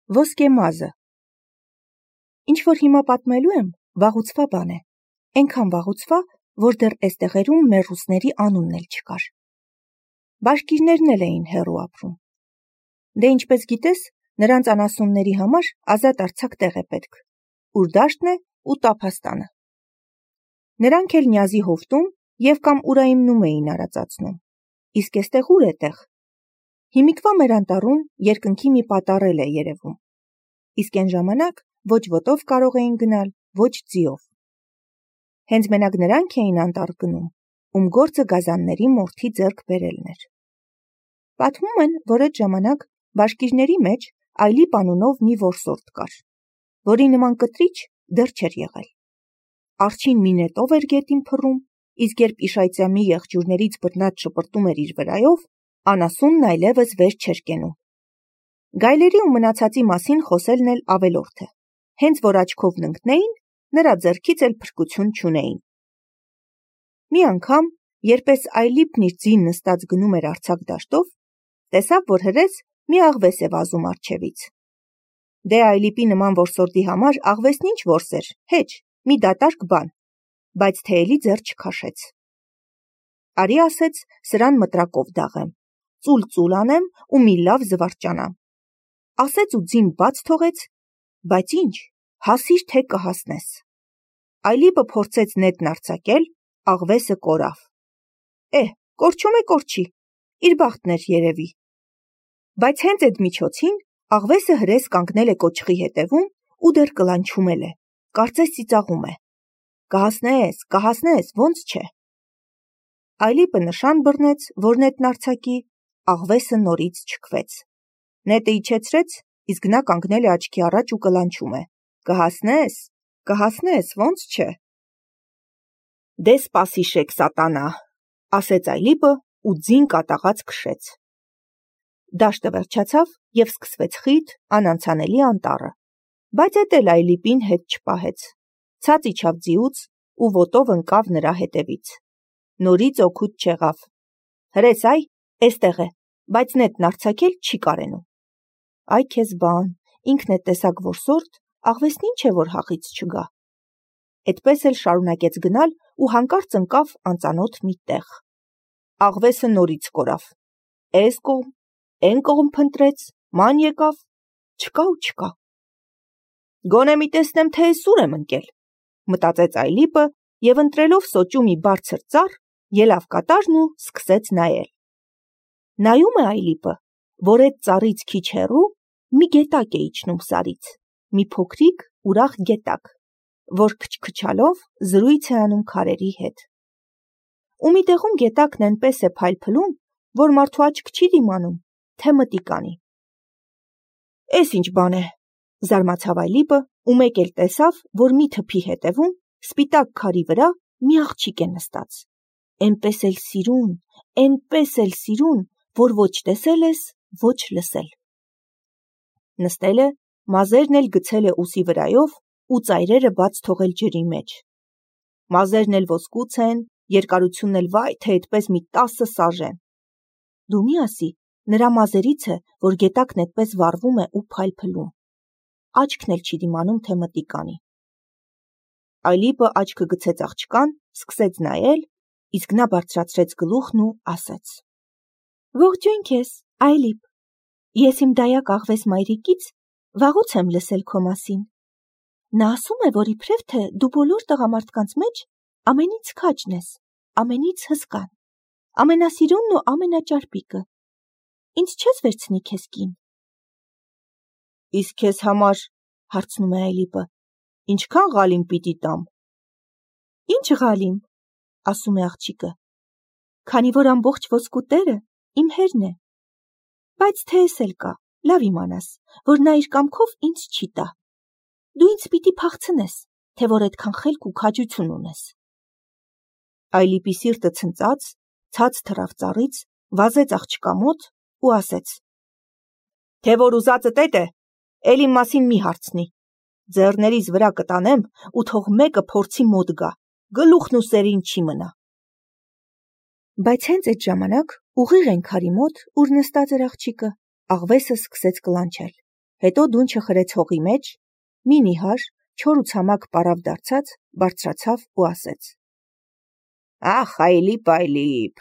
Ոսկե մազը։ Ինչ որ հիմա պատմելու եմ, վաղուցվա բան է։ Էնքան վաղուցվա, որ դեռ էստեղերում մեր ռուսների անունն էլ չկար։ Բաշկիրներն էլ էին հեռու ապրում։ Դե ինչպես գիտես, նրանց անասունների համար ազատ արձակ տեղ է պետք, ուր դաշտն է ու տափաստանը։ Նրանք էլ Նյազի հովտում և կամ Ուրայիմնում էին արածացնում։ Իսկ էստեղ ուր է տեղ։ Հիմիկվա մեր անտառում երկնքի մի պատառել է երևում։ Իսկ այն ժամանակ ոչ ոտով կարող էին գնալ, ոչ ձիով։ Հենց մենակ նրանք էին անտառ գնում, ում գործը գազանների մորթի ձեռք բերելն էր։ Պատմում են, որ այդ ժամանակ բաշկիրների մեջ Այլիպ անունով մի որսորդ կար, որի նման կտրիչ դեռ չէր եղել։ Արջին մի նետով էր գետին փռում, իսկ երբ Իշայծյամի եղջյուրներից բռնած շպրտում էր իր վրայով, անասունն այլևս վեր չէր կենում։ Գայլերի ու մնացածի մասին խոսելն էլ ավելորդ է։ Հենց որ աչքով ընկնեին, նրա ձեռքից էլ փրկություն չունեին։ Մի անգամ, երբ Այլիպն իր ձին նստած գնում էր արձակ դաշտով, տեսավ, որ հրես մի աղվես է վազում առջևից։ Դե Այլիպի նման որսորդի համար աղվեսն ինչ որս էր, հեչ, մի դատարկ բան, բայց թե էլի ձեռ չքաշեց։ Արի ասեց, սրան մտրակով դաղեմ, ծուլ անեմ ու մի լավ զվարճանամ։ Ասեց ու ձին բաց թողեց, բայց ինչ, հասիր թե կհասնես։ Այլիպը փորձեց նետն արձակել, աղվեսը կորավ։ Կորչում է կորչի, իր բախտն էր երևի։ Բայց հենց այդ միջոցին աղվեսը հրես կանգնել է կոճղի հետևում ու դեռ կլանչում է, կարծես ծիծաղում է։ Կհասնես, ոնց չէ։ Այլիպը նշան բռնեց, որ նետն արձակի, աղվեսը նորից չքվեց։ Նետը իջեցրեց, իսկ նա կանգնել է աչքի առաջ ու կլանչում է։ Կհասնես, ոնց չէ։ Դե սպասիշեք, սատանա, ասեց Այլիպը ու ձին կատաղած քշեց։ Դաշտը վերջացավ և սկսվեց խիտ, անանցանելի անտառը, բայց էդ էլ Այլիպին հետ չպահեց։ Ցած իջավ ձիուց ու ոտով ընկավ նրա հետևից։ Նորից օգուտ չեղավ։ Հրես էստեղ է, բայց նետն արձակել չի կարենում։ Այ քեզ բան, ինքն է տեսակ որսորդ, աղվեսն ինչ է, որ հախից չգա։ Էդպես էլ շարունակեց գնալ ու հանկարծ ընկավ անծանոթ մի տեղ։ Աղվեսը նորից կորավ։ Էս կողմ, էն կողմ փնտրեց, ման եկավ, չկա։ Գոնե մի տեսնեմ, թե էս ուր եմ ընկել, մտածեց Այլիպը և ընտրելով սոճու մի բարձր ծառ, ելավ կատարն ու սկսեց նայել։ Նայում է Այլիպը, որ այդ ծառից քիչ հեռու մի գետակ է իջնում սարից, մի փոքրիկ ուրախ գետակ, որ քչքչալով զրույց է անում քարերի հետ։ Ու մի տեղում գետակն այնպես է փայլփլում, որ մարդու աչք չի դիմանում, թե մտիկ անի։ Էս ինչ բան է, զարմացավ Այլիպը ու մեկ էլ տեսավ, որ մի թփի հետևում, սպիտակ քարի վրա մի աղջիկ է նստած։ Էնպես էլ սիրուն, որ ոչ տեսել ես, ոչ լսել։ Նստել է, մազերն էլ գցել է ուսի վրայով ու ծայրերը բաց թողել ջրի մեջ։ Մազերն էլ ոսկուց են, երկարությունն էլ վայ թե այդպես մի 10 սաժեն։ Դու մի ասի, նրա մազերից է, որ գետակն այդպես վառվում է ու փայլփլում։ Աչքն էլ չի դիմանում, թե մտիկ անի։ Այլիպը աչքը գցեց աղջկան, սկսեց նայել, իսկ նա բարձրացրեց գլուխն ու ասեց. Ողջույն քեզ, Այլիպ, ես իմ դայակ աղվես մայրիկից վաղուց եմ լսել քո մասին։ Նա ասում է, որ իբրև թե դու բոլոր տղամարդկանց մեջ ամենից քաջն ես, ամենից հսկան, ամենասիրունն ու ամենաճարպիկը։ Ինձ չես վերցնի քեզ կին։ Իսկ քեզ համար, հարցնում է Այլիպը, ինչքան ղալիմ պիտի տամ։ Ինչ ղալիմ, ասում է աղջիկը, քանի որ ամբողջ ոսկու տերը իմ հերն է։ Բայց թե էս էլ կա, լավ իմանաս, որ նա իր կամքով ինձ չի տա։ Դու ինձ պիտի փախցնես, թե որ այդքան խելք ու քաջություն ունես։ Այլիպի սիրտը ցնծաց, ցած թռավ ծառից, վազեց աղջկա մոտ ու ասեց. Թե որ ուզածդ էդ է, էլ իմ մասին մի հարցնի։ Ձեռներիս վրա կտանեմ ու թող մեկը փորձի մոտ գա, գլուխն ու սերին չի մնա։ Բայց հենց այդ ժամանակ ուղիղ այն քարի մոտ, ուր նստած էր աղջիկը, աղվեսը սկսեց կլանչել։ հետո դունչը խրեց հողի մեջ, մի նիհար, չոր ու ցամաք պարավ դարձած, բարձրացավ ու ասեց. «Ախ, Այլիպ,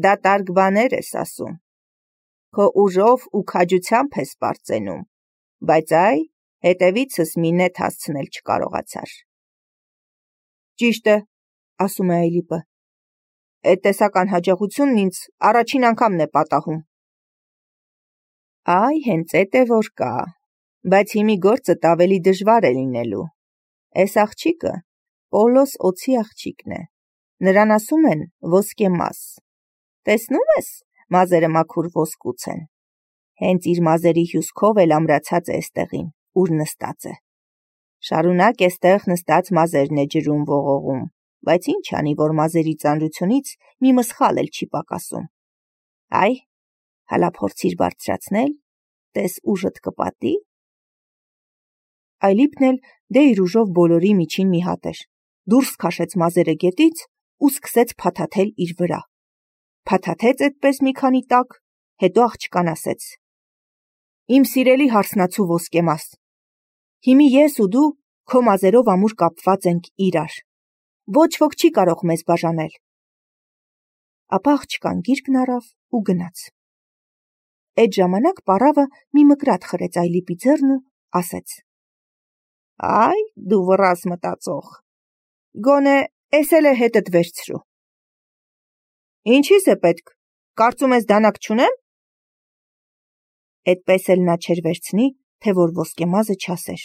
դատարկ բաներ ես ասում, քո ուժով ու քաջությամբ ես պարծենում, բայց այ, հետևիցս մի նետ հասցնել չկարողացար»։ «Ճիշտ է», ասում է Այլիպը, «էդ տեսական հաջողությունն ինձ առաջին անգամն է պատահում»։ Այ հենց էդ է որ կա, բայց հիմի գործդ ավելի դժվար է լինելու։ Էս աղջիկը Պողլոս օձի աղջիկն է, նրան ասում են ոսկե մազ։ Տեսնում ես, մազերը մաքուր ոսկուց են։ Հենց իր մազերի հյուսքով էլ ամրացած է էստեղին, ուր նստած է։ Շարունակ էստեղ նստած մազերն է ջրում ողողում, բայց ինչ անի, որ մազերի ծանրությունից մի մսխալ էլ չի պակասում։ Այ, հալա փորձիր բարձրացնել, տես ուժդ կպատի։ Այլիպն էլ դե իր ուժով բոլորի միջին մի հատ էր, դուրս քաշեց մազերը գետից ու սկսեց փաթաթել իր վրա։ Փաթաթեց այդպես մի քանի տակ, հետո աղջկան ասեց. «Իմ սիրելի հարսնացու ոսկեմազ, հիմի ես ու դու քո մազերով ամուր կապված ենք իրար, ոչ ոք չի կարող մեզ բաժանել»։ Ապա աղջկան գիրկն առավ ու գնաց։ Այդ ժամանակ պառավը մի մկրատ խրեց Այլիպի ձեռն ու ասեց. «Այ, դու վռազ մտածող, գոնե էս էլ է հետդ վերցրու»։ «Ինչիս է պետք, կարծում ես դանակ չունեմ»։ Էդպես էլ նա չէր վերցնի, թե որ ոսկեմազը չասեր.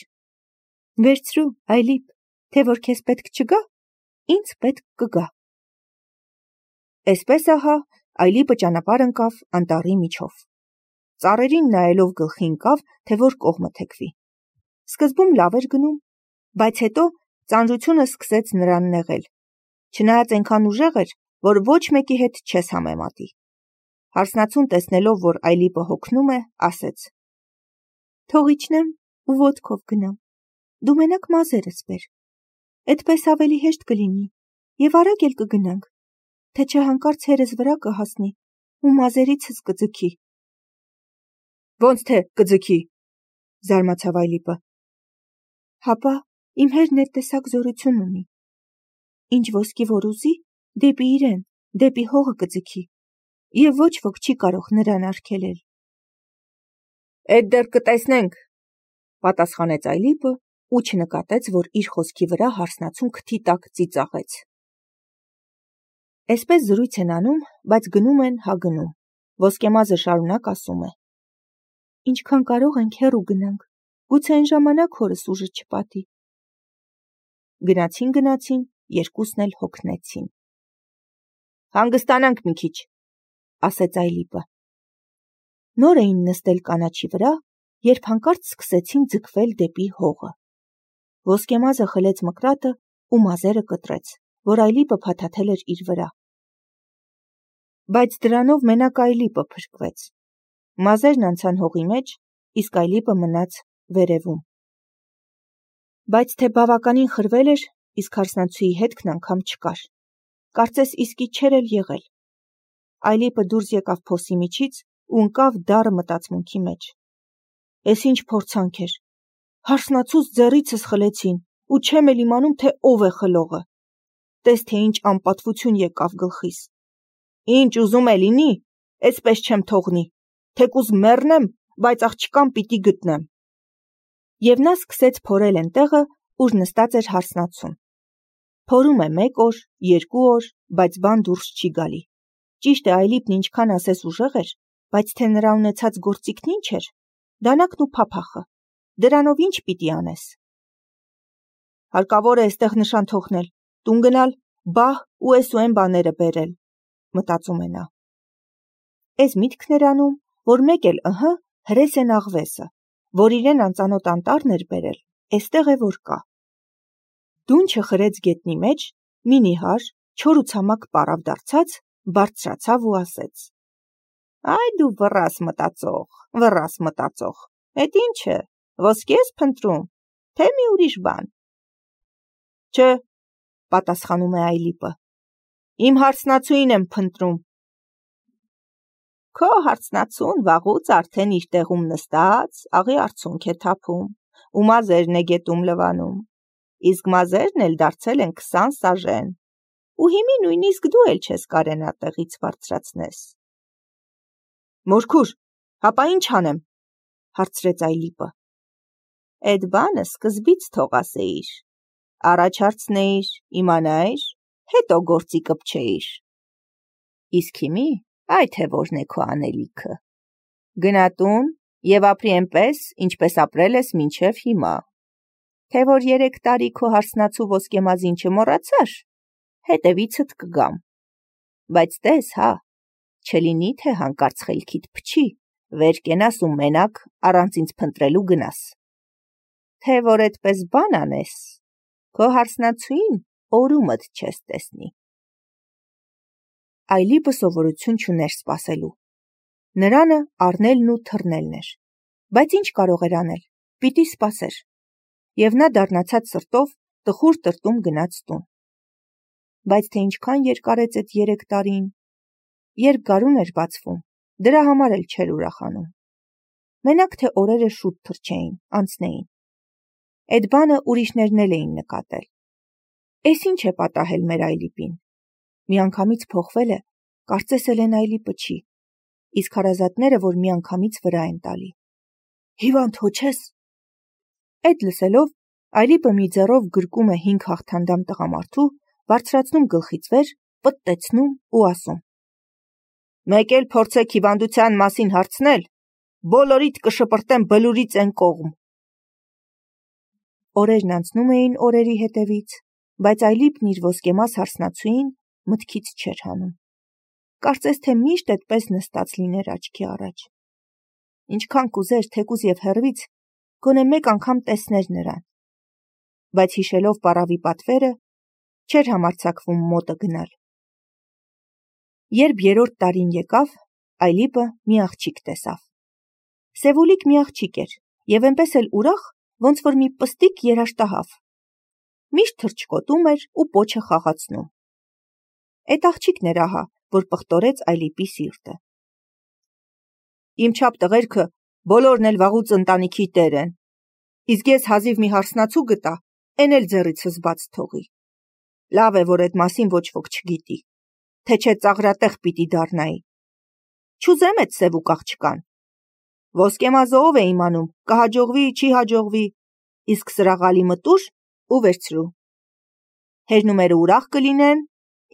«Վերցրու, Այլիպ, թե որ քեզ պետք չգա, ինձ պետք կգա»։ Էսպես ահա Այլիպը ճանապարհ ընկավ անտառի միջով։ Ծառերին նայելով գլխի ընկավ, թե որ կողմը թեքվի։ Սկզբում լավ էր գնում, բայց հետո ծանրությունը սկսեց նրան նեղել, չնայած այնքան ուժեղ էր, որ ոչ մեկի հետ չես համեմատի։ Հարսնացուն տեսնելով, որ Այլիպը հոգնում է, ասեց. «Թող իջնեմ ու ոտքով գնամ, դու մենակ մազերս բեր, այդպես ավելի հեշտ կլինի և արագ էլ կգնանք, թե չէ հանկարծ հերս վրա կհասնի ու մազերիցս կձգի»։ «Ոնց թե կձգի», զարմացավ Այլիպը։ «Հապա իմ հերն այդ տեսակ զորություն ունի, ինչ ոսկի որ ուզի, դեպի իրեն, դեպի հողը կձգի, և ոչ ոք չի կարող նրան արգելել»։ «Էդ դեռ կտեսնենք», պատասխանեց Այլիպը ու չնկատեց, որ իր խոսքի վրա հարսնացուն քթի տակ ծիծաղեց։ Էսպես զրույց են անում, բայց գնում են հա գնում։ Ոսկեմազը շարունակ ասում է. «Ինչքան կարող ենք հեռու գնանք, գուցե այն ժամանակ հորս ուժը չպատի»։ Գնացին, երկուսն էլ հոգնեցին։ «Հանգստանանք մի քիչ», ասեց Այլիպը։ Նոր էին նստել կանաչի վրա, երբ հանկարծ սկսեցին ձգվել դեպի հողը։ Ոսկեմազը խլեց մկրատը ու մազերը կտրեց, որ Այլիպը փաթաթել էր իր վրա։ Բայց դրանով մենակ Այլիպը փրկվեց։ Մազերն անցան հողի մեջ, իսկ Այլիպը մնաց վերևում։ Բայց թե բավականին խրվել էր, իսկ հարսնացուի հետքն անգամ չկար։ Կարծես իսկի չէր էլ եղել։ Այլիպը դուրս եկավ փոսի միջից ու ընկավ դառը մտածմունքի մեջ։ Էս ինչ փորձանք էր։ Հարսնացուց ձեռիցս խլեցին ու չեմ էլ իմանում, թե ով է խլողը։ Տես թե ինչ անպատվություն եկավ գլխիս։ Ինչ ուզում է լինի, էսպես չեմ թողնի, թեկուզ մեռնեմ, բայց աղջկան պիտի գտնեմ։ Եվ նա սկսեց փորել այն տեղը, ուր նստած էր հարսնացուն։ Փորում է 1 օր, 2 օր, բայց բան դուրս չի գալի։ Ճիշտ է, Այլիպն ինչքան ասես ուժեղ էր, բայց թե նրա ունեցած գործիքն ինչ էր, դանակն ու փափախը, դրանով ինչ պիտի անես։ Հարկավոր է այստեղ նշան թողնել, տուն գնալ, բահ ու էս ու այն բաները բերել, մտածում է նա։ Էս միտքն էր անում, որ մեկ էլ հրես են աղվեսը, որ իրեն անծանոթ անտառն էր բերել, էստեղ է որ կա։ Դունչը խրեց գետնի մեջ, մի նիհար, չոր ու ցամաք պարավ դարձած, բարձրացավ ու ասեց. «Այ դու վռաս մտածող, էդ ինչ է, ոսկի ես փնտրում, թե մի ուրիշ բան»։ «Չէ», պատասխանում է Այլիպը, «իմ հարսնացուին եմ փնտրում»։ Քո հարցնացուն վաղուց արդեն իր տեղում նստած, աղի արցունք է թափում, ու մազերն է գետում լվանում, իսկ մազերն էլ դարձել են 20 սաժեն, ու հիմի նույնիսկ դու էլ չես կարենա տեղից բարձրացնես։ Մորքուր, հապա ինչ անեմ, հարցրեց Այլիպը։ Էդ բանը սկզբից թող ասեիր, առաջ հարցնեիր, իմանայիր, հետո գործի կպչեիր։ Իսկ հիմի այ թե որն է քո անելիքը։ Գնա տուն և ապրի այնպես, ինչպես ապրել ես մինչև հիմա։ Թե որ 3 տարի քո հարսնացու ոսկեմազին չմոռացար, հետևիցդ կգամ։ Բայց տես, հա, չլինի թե հանկարծ խելքիդ փչի, վեր կենաս ու մենակ առանց ինձ փնտրելու գնաս։ Թե որ այդպես բան անես, քո հարսնացուին օրումդ չես տեսնի։ Այլիպը սովորություն չուներ սպասելու։ Նրանը առնելն ու թռնելն էր, բայց ինչ կարող էր անել, պիտի սպասեր, և նա դառնացած սրտով տխուր տրտում գնաց տուն։ Բայց թե ինչքան երկարեց այդ 3 տարին, երբ գարուն էր բացվում, դրա համար էլ չէր ուրախանում։ Մենակ թե օրերը շուտ թռչեին, անցնեին։ Այդ բանը ուրիշներն էլ էին նկատել։ Էս ինչ է պատահել մեր Այլիպին։ Միանգամից փոխվել է, կարծես Էլեն Այլիպը չի, իսկ հարազատները, որ միանգամից վրա են տալի։ Հիվանդ հո չես։ Այդ լսելով, Այլիպը մի ձեռով գրկում է 5 հաղթանդամ տղամարդու, բարձրացնում գլխից վեր, պտտեցնում ու ասում. Մեկ էլ փորձեք հիվանդության մասին հարցնել, բոլորիդ կշպրտեմ բլուրից են կողմ։ Օրերն անցնում էին օրերի հետևից, բայց Այլիպն իր ոսկեմաս հարսնացուին մտքից չէր հանում։ Կարծես թե միշտ այդպես նստած լիներ աչքի առաջ։ Ինչքան կուզեր, թեկուզ և հեռվից, գոնե մեկ անգամ տեսներ նրան։ Բայց հիշելով պառավի պատվերը, չէր համարձակվում մոտը գնալ։ Երբ 3-րդ տարին եկավ, Այլիպը մի աղջիկ տեսավ։ Սևուլիկ մի աղջիկ էր, և այնպես էլ ուրախ, ոնց որ մի պստիկ երաշտահավ։ Միշտ թռչկոտում էր ու պոչը խաղացնում։ Այդ աղջիկն էր ահա, որ պղտորեց Այլիպի սիրտը։ Իմ չափ տղերքը բոլորն էլ վաղուց ընտանիքի տեր են, իսկ ես հազիվ մի հարսնացու գտա, էն էլ ձեռիցս բաց թողի։ Լավ է, որ այդ մասին ոչ ոք չգիտի, թե չէ ծաղրատեղ պիտի դառնայի։ Չուզեմ այդ սևուկ աղջկան։ Ոսկեմազը ով է իմանում, կհաջողվի, չի հաջողվի, իսկ սրաղալի մտուր ու վերցրու։ Հերնումերը ուրախ կլինեն,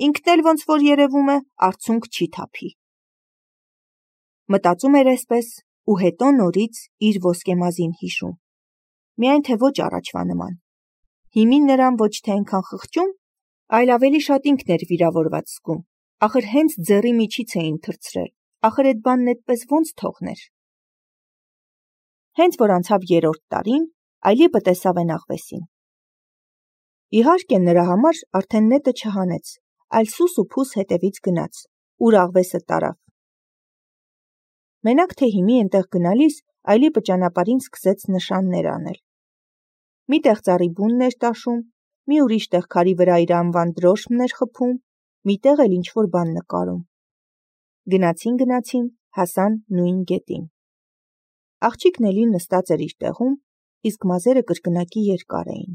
ինքն էլ ոնց որ երևում է, արցունք չի թափի։ Մտածում էր այսպես ու հետո նորից իր ոսկեմազին հիշում։ Միայն թե ոչ առաջվա նման։ Հիմին նրան ոչ թե այնքան խղճում, այլ ավելի շատ ինքն էր վիրավորված զգում։ Ախր հենց ձեռի միջից էին թռցրել, ախր այդ բանն այդպես ոնց թողներ։ Հենց որ անցավ 3-րդ տարին, Այլիպը տեսավ են աղվեսին։ Իհարկե նրա համար արդեն նետը չհանեց, այլ սուս ու փուս հետևից գնաց, ուր աղվեսը տարավ։ Մենակ թե հիմի այնտեղ գնալիս Այլիպը ճանապարհին սկսեց նշաններ անել։ Մի տեղ ծառի բունն էր տաշում, մի ուրիշ տեղ քարի վրա իր անվան դրոշմն էր խփում, մի տեղ էլ ինչ-որ բան նկարում։ Գնացին, հասան նույն գետին։ Աղջիկն էլի նստած էր իր տեղում, իսկ մազերը կրկնակի երկար էին։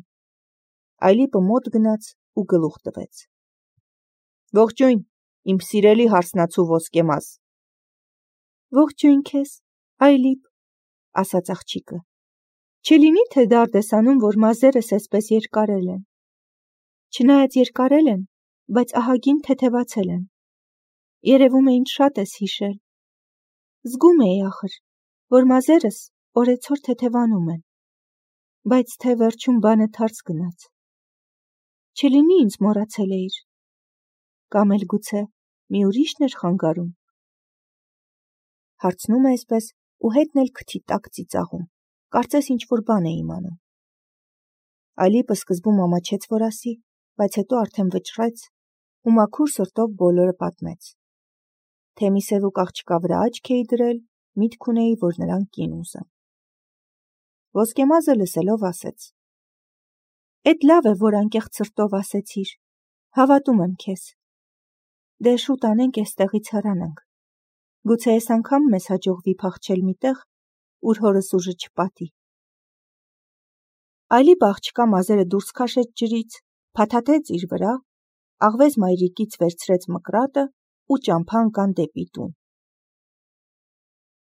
Այլիպը մոտ գնաց ու գլուխ տվեց։ Ողջույն, իմ սիրելի հարսնացու ոսկեմազ։ Ողջույն քեզ, Այլիպ, ասաց աղջիկը։ Չլինի թե դարդ ես անում, որ մազերս այսպես երկարել են։ Չնայած երկարել են, բայց ահագին թեթևացել են։ Երևում է ինձ շատ ես հիշել։ Զգում էի ախր, որ մազերս օրեցօր թեթևանում են, բայց թե վերջում բանը թարց գնաց։ Չլինի ինձ մոռացել էիր, կամ էլ գուցե մի ուրիշն էր խանգարում։ Հարցնում է այսպես ու հետն էլ քթի տակ ծիծաղում, կարծես ինչ-որ բան է իմանում։ Այլիպը սկզբում ամաչեց, որ ասի, բայց հետո արդեն վճռեց ու մաքուր սրտով բոլորը պատմեց։ Թե մի սևուկ աղջկա վրա աչք էի դրել, միտք ունեի, որ նրան կին ուզեմ։ Ոսկեմազը լսելով ասեց. Էդ լավ է, որ անկեղծ սրտով ասեցիր, հավատում եմ քեզ։ Դե շուտ անենք էստեղից հեռանանք։ Գուցե այս անգամ մեզ հաջողվի փախչել միտեղ, ուր հորս ուժը չպատի։ Այլիպ աղջկա մազերը դուրս քաշեց ջրից, փաթաթեց իր վրա, աղվես մայրիկից վերցրեց մկրատը ու ճամփա ընկան դեպի տուն։